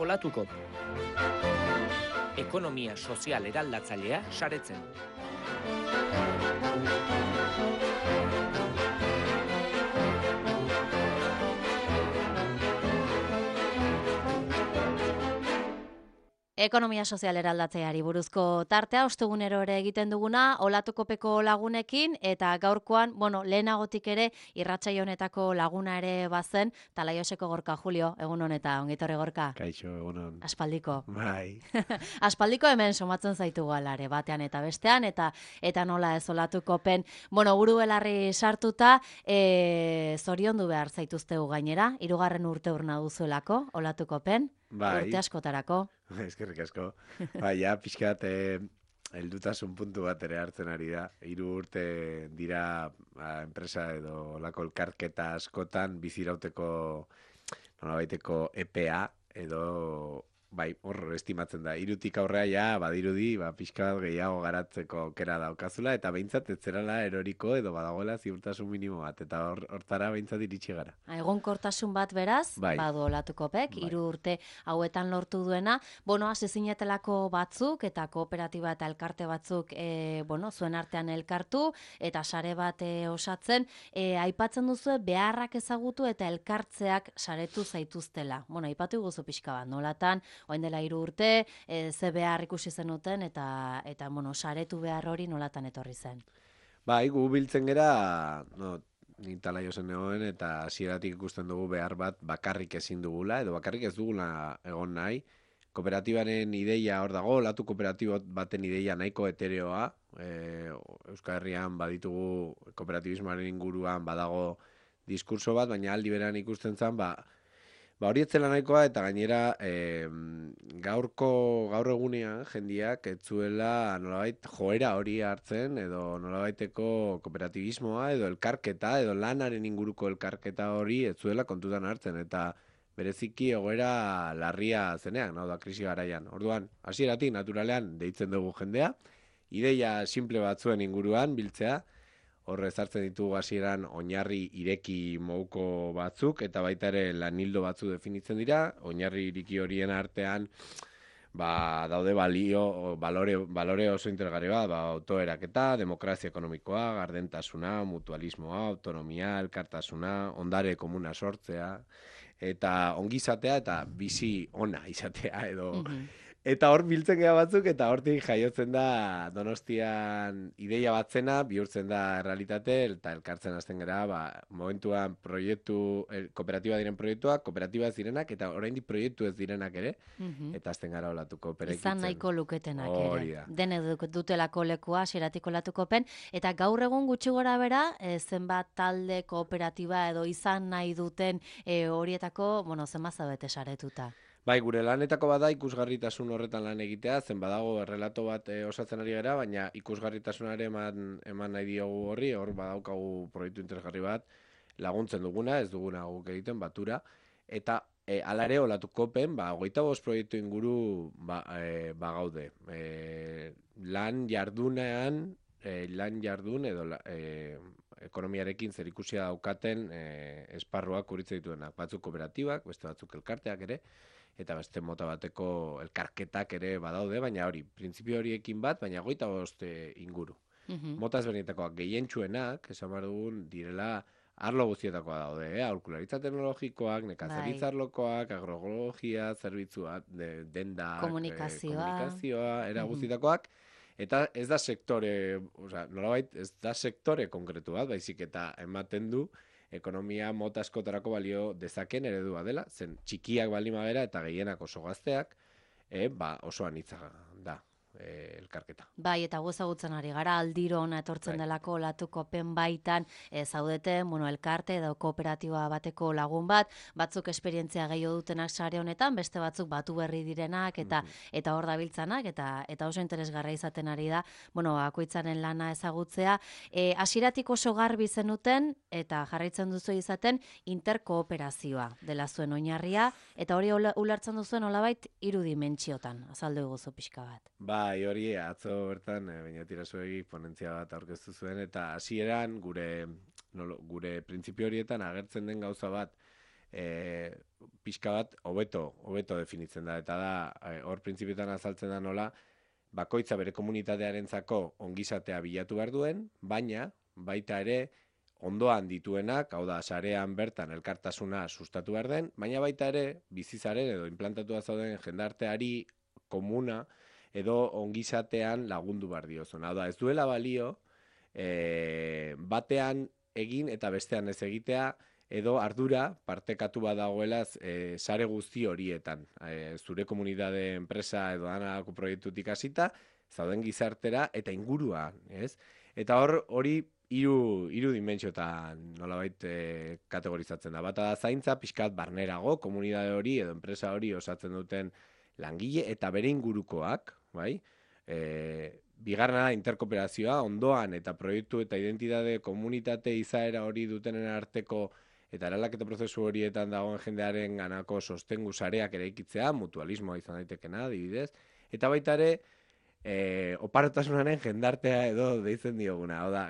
Olatuko. Ekonomia sozial eraldatzailea saretzen. Ekonomia sozial eraldatzeari buruzko tartea ostegunero ere egiten duguna Olatukopeko lagunekin eta gaurkoan, lehenagotik ere irratsaio honetako laguna ere bazen Talaioseko Gorka. Julio, egun honeta, ongitorri Gorka. Kaixo, egunon. Aspaldiko. Bai. Aspaldiko hemen somatzen zaitugu alare, batean eta bestean, eta nola ez Olatukopen. Buru belarri sartuta, zoriondu behar zaituztegu gainera, 3. urte urna duzuelako Olatukopen. Bai. Urte askotarako. Eskerrik asko. Bai, pixkat heldutasun puntu bat ere hartzen ari da. 3 urte dira enpresa edo lako elkarketa askotan bizirauteko nolabaiteko EPA edo bai, hor estimatzen da. 3tik aurrea badirudi, pixka gehiago garatzeko aukera daukazula eta behintzat ez zerala eroriko edo badagoela ziurtasun minimo bat eta hortara behintzat iritsi gara. Egonkortasun bat beraz, badu Olatukopek, 3 urte hauetan lortu duena. Hasi zinetelako batzuk eta kooperatiba eta elkarte batzuk zuen artean elkartu eta sare bat osatzen. Aipatzen duzu beharrak ezagutu eta elkartzeak saretu zaituztela. Aipatu guzu pixka bat, nolatan, orain dela 3 urte, ze behar ikusi zenuten eta saretu behar hori nolatan etorri zen. Bai, gu biltzen gera, ni Talaiosen negoen eta hasieratik ikusten dugu behar bat bakarrik ezin dugula, edo bakarrik ez dugula egon nahi. Kooperatibaren ideia hor dago, Olatu kooperatibo baten ideia nahiko etereoa. Euskal Herrian baditugu kooperatibismoaren inguruan badago diskurso bat, baina aldi beran ikusten zen, hori etzela nahikoa eta gainera gaur egunean jendiak etzuela nolabait joera hori hartzen edo nolabaiteko kooperatibismoa edo elkarketa edo lanaren inguruko elkarketa hori etzuela kontutan hartzen eta bereziki egoera larria zenean, krisi garaian. Orduan, hasieratik naturalean deitzen dugu jendea, ideia simple batzuen inguruan biltzea, horre zartzen ditugu hasieran oinarri ireki moduko batzuk, eta baita ere lanildo batzu definitzen dira, oinarri ireki horien artean daude balore oso interesgarri bat, autoeraketa, demokrazia ekonomikoa, gardentasuna, mutualismoa, autonomia, elkartasuna, ondare komuna sortzea, eta ongizatea eta bizi ona izatea edo... Eta hor biltzen gara batzuk, eta hortik jaiotzen da Donostian ideia batzena, bihurtzen da realitate, eta elkartzen hasten gara, momentuan kooperatiba diren proiektuak, kooperatiba ez direnak, eta oraindik proiektu ez direnak ere, eta hasten gara Olatuko perekitzen. Izan nahiko luketenak ere. Da. Dene dutelako lekua, hasieratik Olatukopen, eta gaur egun gutxi gora bera, zenbat talde kooperatiba edo izan nahi duten horietako, zenbat zaudete saretuta. Bai, gure lanetako bada ikusgarritasun horretan lan egitea, zen badago errelato bat osatzen ari gara, baina ikusgarritasunare eman nahi diogu horri, hor badaukagu proiektu interesgarri bat, laguntzen duguna, ez duguna guk egiten, batura, eta alare Olatukopen, 25 proiektu inguru gaude. Lan jardun edo ekonomiarekin zerikusia daukaten esparruak kuritze dituenak, batzuk kooperatibak, beste batzuk elkarteak ere, eta beste mota bateko elkarketak ere badaude, baina hori, printzipio horiekin bat, baina 25 inguru. Mota ezberdinetakoak gehientsuenak, esan behar dugun, direla arlo guztietakoa daude, aholkularitza teknologikoak, nekazaritza arlokoak, agrologia, zerbitzua, denda, komunikazioa, era guztietakoak, eta ez da nolabait ez da sektore konkretu bat, baizik eta ematen du ekonomia mota askotarako balio dezaken eredua dela, zen txikiak baldin bagera eta gehienak oso gazteak, oso anitza da elkarketa. Bai, eta ezagutzen ari gara, aldiro ona etortzen delako Olatukopen baitan zaudeten, elkarte edo kooperatiba bateko lagun bat, batzuk esperientzia gehiago dutenak sare honetan, beste batzuk batu berri direnak eta hor dabiltzanak, eta oso interesgarria izaten ari da, bakoitzaren lana ezagutzea. Hasieratik oso garbi zenuten, eta jarraitzen duzu izaten, interkooperazioa dela zuen oinarria, eta hori ulertzen duzuen nolabait 3 dimentsiotan, azaldu eguzu pixka bat. Bai, hori atzo bertan, Beñatirazuegi ponentzia bat aurkeztu zuen, eta hasieran gure printzipio horietan agertzen den gauza bat, pixka bat hobeto definitzen da, eta da, hor printzipiotan azaltzen da nola, bakoitza bere komunitatearentzako ongizatea bilatu behar duen, baina baita ere ondoan dituenak, hau da, sarean bertan elkartasuna sustatu behar den, baina baita ere bizizaren edo implantatua zauden jendarteari komuna edo ongizatean lagundu behar diozun. Hau da, ez duela balio batean egin eta bestean ez egitea, edo ardura partekatu badagoela sare guzti horietan. Zure komunitate enpresa edo danako proiektutik hasita, zauden gizartera eta ingurua, ez? Eta hori hiru dimentsiotan nolabait kategorizatzen da. Bata da zaintza, pixkat barnerago, komunitate hori edo enpresa hori osatzen duten langile eta bere ingurukoak, bai? Bigarrena da interkooperazioa, ondoan eta proiektu eta identitate komunitate izaera hori dutenen arteko eta eraldaketa prozesu horietan dagoen jendearen ganako sostengu sareak eraikitzea, mutualismoa izan daitekena, adibidez, eta baita ere, oparotasunaren jendartea edo deitzen dioguna, hau da,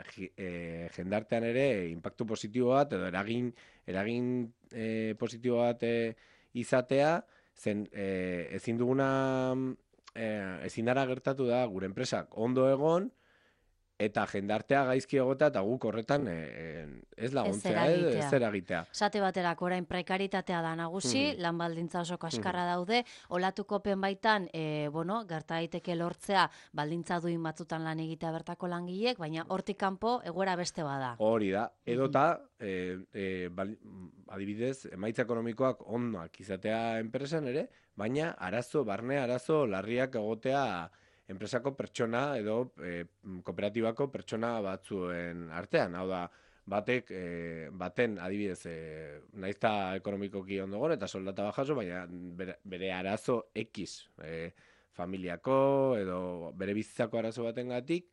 jendartean ere inpaktu positibo bat edo eragin positibo bat izatea, zen ezin duguna, ezin dara gertatu da gure enpresak ondo egon, eta jendartea gaizki egotea eta guk horretan ez laguntzea, ez eragitea. Esate baterako orain prekaritatea da nagusi, lan baldintza oso kaskarra daude, olatukopen baitan, gerta daiteke lortzea baldintza duin batzutan lan egitea bertako langilek, baina hortik kanpo egoera beste bada. Hori da, edota, adibidez, emaitza ekonomikoak ondoak izatea enpresan ere, baina barne arazo larriak egotea enpresako pertsona edo kooperatibako pertsona batzuen artean. Hau da, baten adibidez, naizta ekonomikoki ondo gon eta soldata bajaso, baina bere arazo X familiako edo bere bizitzako arazo batengatik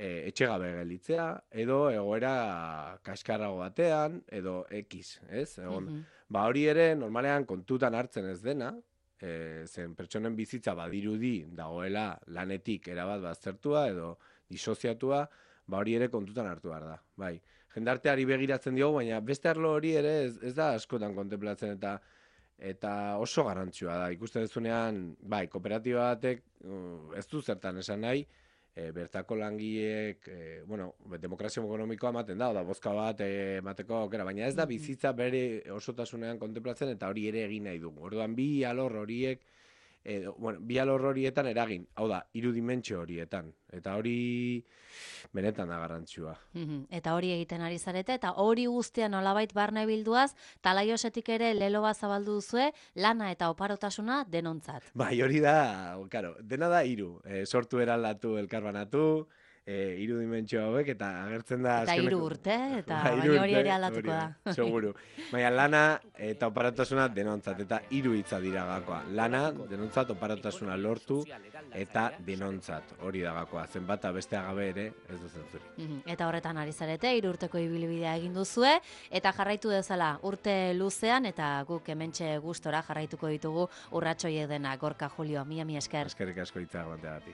etxegabe gelditzea edo egoera kaskarrago batean edo X, ez? Hori ere normalean kontutan hartzen ez dena, zen pertsonen bizitza badirudi dagoela lanetik erabat baztertua edo disoziatua, hori ere kontutan hartu behar da. Bai, jendarteari begiratzen diogu, baina beste arlo hori ere ez da askotan kontemplatzen eta oso garrantzua da. Ikusten duzunean, bai, kooperatiba batek ez du zertan esan nahi, bertako langileek, demokrazio ekonomikoa ematen da bozka bat emateko aukera, baina ez da bizitza bere osotasunean kontemplatzen eta hori ere egin nahi dugu. Orduan, bi alor horietan eragin, hau da, 3 dimentsio horietan, eta hori benetan da garrantzua. Eta hori egiten ari zarete, eta hori guztian nolabait barne bilduaz, Talaiosetik ere lelo bat zabaldu duzue, lana eta oparotasuna denontzat. Bai, hori da, dena da 3, sortu eraldatu elkarbanatu, 3 dimentsio hauek, eta agertzen da... Eta 3 urte, eta baina hori ere aldatuko da. Seguru. Baina lana eta oparatasuna denontzat, eta 3 hitza dira gakoa. Lana, denontzat, oparatasuna lortu, eta denontzat, hori da gakoa. Zenbata beste agabe ere, ez duzen zuri. Eta horretan ari zarete, 3 urteko ibilbidea egin duzue, eta jarraitu dezala urte luzean, eta guk hementxe gustora jarraituko ditugu urratsoiek dena. Gorka, Julio, mila esker. Eskerrik asko hitza egoteagatik.